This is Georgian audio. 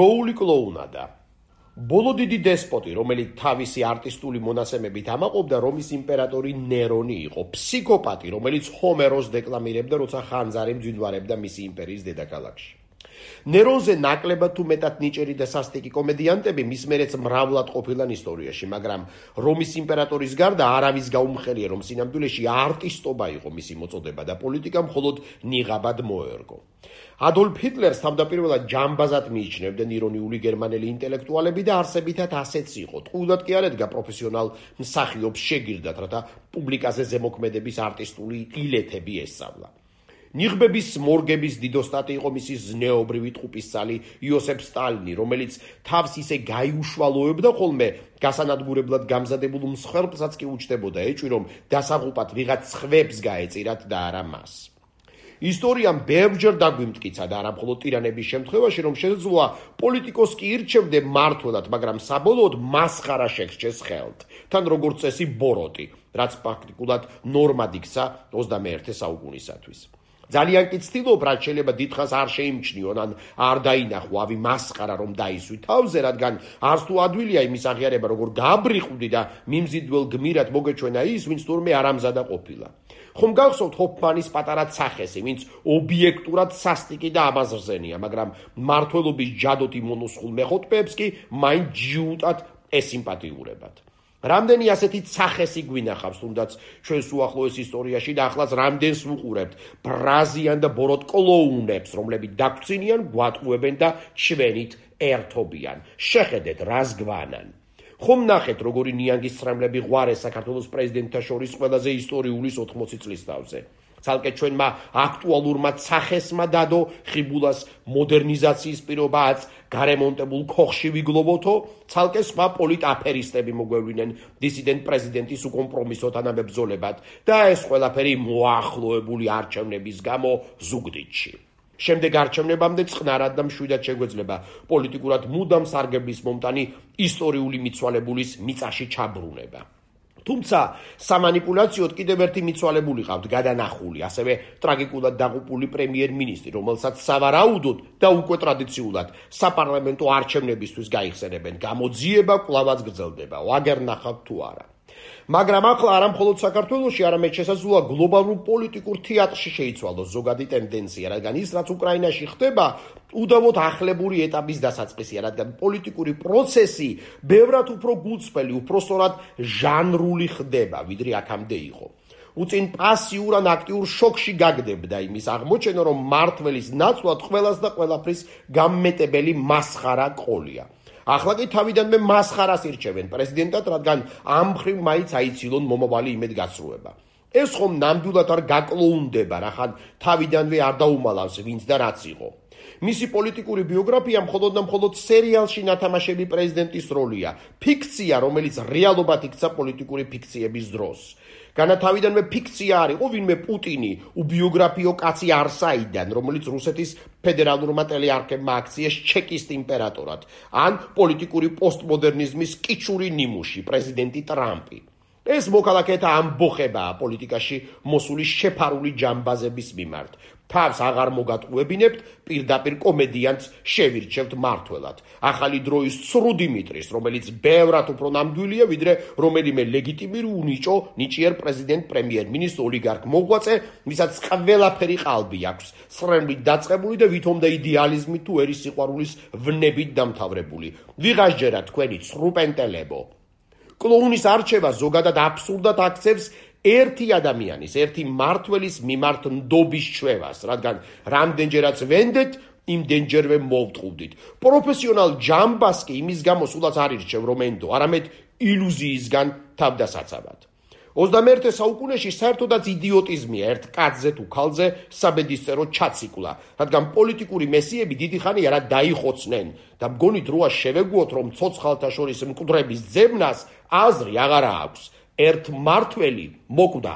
დროული კლოუნადა. ბოლო დიდი დესპოტი, რომელიც თავისი არტისტული მონაცემებით ამაყობდა, რომის იმპერატორი ნერონი იყო, ფსიქოპატი, რომელიც ჰომეროს დეკლამირებდა, როცა ხანძარი მძვინვარებდა მისი იმპერიის დედაქალაქში. ნერონზე ნაკლებად თუ მეტად ნიჭიერი და სასტიკი კომედიანტები მის მერეც მრავლად ყოფილან ისტორიაში, მაგრამ რომის იმპერატორის გარდა არავის გაუმხელია, რომ სინამდვილეში არტისტობა იყო მისი მოწოდება და პოლიტიკა მხოლოდ ნიღაბად მოერგო. ადოლფ ჰიტლერს თავდაპირველად ჯამბაზად მიიჩნევდნენ ირონიული გერმანელი ინტელექტუალები და არსებითად ასეც იყო. ტყუილად კი არ ედგა პროფესიონალ მსახიობს შეგირდად, რათა პუბლიკაზე ზემოქმედების არტისტული ილეთები ესწავლა. ნიღბების მორგების დიდოსტატი იყო მისი ზნეობრივი ტყუპისცალი იოსებ სტალინი, რომელიც თავს ისე გაიუშვალოებდა ხოლმე გასანადგურებლად გამზადებულ მსხვერპლსაც კი უჩნდებოდა ეჭვი, რომ დასაღუპად ვიღაც სხვებს გაეწირათ და არა მას. ისტორიამ ბევრჯერ დაგვიმტკიცა და არა მხოლოდ ტირანების შემთხვევაში, რომ შესაძლოა პოლიტიკოს კი ირჩევდე მმართველად, მაგრამ საბოლოოდ მასხარა შეგრჩეს ხელთ, თან როგორც წესი ბოროტი, რაც ფაქტიკულად ნორმად იქცა 21 საუკუნისათვის. ძალიან კი ცდილობ, რაც შეიძლება დიდხანს არ შეიმჩნიონ, ან არ დაინახო ავი მასხარა რომ დაისვი თავზე, რადგან არც თუ ადვილია იმის აღიარება, როგორ გაბრიყვდი და მიმზიდველ გმირად მოგეჩვენა ის, ვინც თურმე არ ამზადა ყოფილა. ხომ გახსოვთ ჰოფმანის პატარა ცახესი, ვინც ობიექტურად სასტიკი და ამაზრზენია, მაგრამ მმართველობის ჯადოთი მონოსხულ მეხუთბეებს კი მაინც ჯიუტად ესიმპათიურებათ. რამდენი ასეთი ცახესი გვინახავს, თუნდაც ჩვენს უახლოეს ისტორიაში და ახლაც რამდენს ვუყურებთ ბრაზიან და ბოროტ კლოუნებს, რომლებიც დაგვრცინიან, გვატყუებენ და ჩვენით ერთობიან. შეხედეთ, რას გვანან. ხომ ნახეთ, როგორი ნიანგის ცრემლები ღვარეს საქართველოს პრეზიდენტთა შორის ყველაზე ისტორიულის 80 წლის თავზე. ცალკე ჩვენმა აქტუალურმა ცახესმა დადო ხიბულას მოდერნიზაციის პირობაც გარემონტებულ ქოხში ვიგლოვოთო, ცალკე სხვა პოლიტაფერისტები მოგვევლინენ დისიდენტ პრეზიდენტის უკომპრომისო თანამებრძოლებად და ეს ყველაფერი მოახლოებული არჩევნების გამო ზუგდიდში. შემდეგ არჩევნებამდე წყნარად და მშვიდად შეგვეძლება პოლიტიკურად მუდამ სარგებლის მომტანი ისტორიული მიცვალებულის მიწაში ჩაბრუნება. თუმცა სამანიპულაციოდ კიდევ ერთი მიცვალებული ყავთ გადანახული, ასევე ტრაგიკულად დაღუპული პრემიერ-მინისტრი, რომელსაც სავარაუდოდ და უკვე ტრადიციულად საპარლამენტო არჩევნებისთვის გაიხსენებენ. გამოძიება კვლავაც გრძელდება, ვაგერ ნახავთ თუ არა. მაგრამ ახლა არა მხოლოდ საქართველოში, არამედ შესაძლოა გლობალურ პოლიტიკურ თეატრში შეიცვალოს ზოგადი ტენდენცია, რადგან ის, რაც უკრაინაში ხდება, უდავოდ ახლებური ეტაპის დასაწყისია, რადგან პოლიტიკური პროცესი ბევრად უფრო გულწრფელი, უფრო სწორად ჟანრული ხდება, ვიდრე აქამდე იყო. უწინ პასიურ ან აქტიურ შოკში გაგდებდა იმის აღმოჩენა, რომ მმართველის ნაცვლად ყველას და ყველაფრის გამმეტებელი მასხარა ყოლია. ახლა კი თავიდანვე მასხარას ირჩევენ პრეზიდენტად, რადგან ამ მხრივ მაინც აიცილონ მომავალი იმედგაცრუება. ეს ხომ ნამდვილად არ გაკლოუნდება, რახან თავიდანვე არ დაუმალავს ვინც და რაც იყო. მისი პოლიტიკური ბიოგრაფია მხოლოდ და მხოლოდ სერიალში ნათამაშები პრეზიდენტის როლია, ფიქცია, რომელიც რეალობად იქცა პოლიტიკური ფიქციების დროს. განათავიდანვე ფიქცია არ იყო ვინმე პუტინი, უბიოგრაფიო კაცი არსაიდან, რომელიც რუსეთის ფედერალურმა ტელეარქებმა აქციეს ჩეკისტ იმპერატორად, ან პოლიტიკური პოსტმოდერნიზმის კიჩური ნიმუში, პრეზიდენტი ტრამპი. ეს მოქალაქეთა ამბოხებაა პოლიტიკაში მოსული შეფარული ჯამბაზების მიმართ. თავს აღარ მოგატყუებინებთ, პირდაპირ კომედიანტს შევირჩევთ მმართველად. ახალი დროის ცრუ დიმიტრის, რომელიც ბევრად უფრო ნამდვილია, ვიდრე რომელიმე ლეგიტიმური უნიჭო ნიჭიერ პრეზიდენტ პრემიერ-მინისტრ ოლიგარქ მოღვაწე, ვისაც ყველაფერი ყალბი აქვს, სრემლით დაწყებული და ვითომდა იდეალიზმით თუ ერის სიყვარულის ვნებით დამთავრებული. ვიღასჯერა თქვენი ცრუპენტელებო. კლოუნის არჩევა ზოგადად აბსურდად აქცევს ერთი ადამიანის, ერთი მმართველის მიმართ ნდობის ჩვევას, რადგან რამდენჯერაც ვენდეთ, იმდენჯერვე მოვტყუდით. პროფესიონალ ჯამბას კი იმის გამო სულაც არ ირჩევ, რომ ენდო, არამედ ილუზიისგან თავდასაცავად. 21 საუკუნეში საერთოდაც იდიოტიზმია ერთ კაცზე თუ ქალზე საბედისწერო ჩაციკლა, რადგან პოლიტიკური მესიები დიდი ხანი არა დაიხოცნენ და მგონი დროა შევეგუოთ, რომ ცოცხალთა შორის მკვდრების ძებნას აზრი აღარა აქვს. ერთ მმართველი მოკვდა.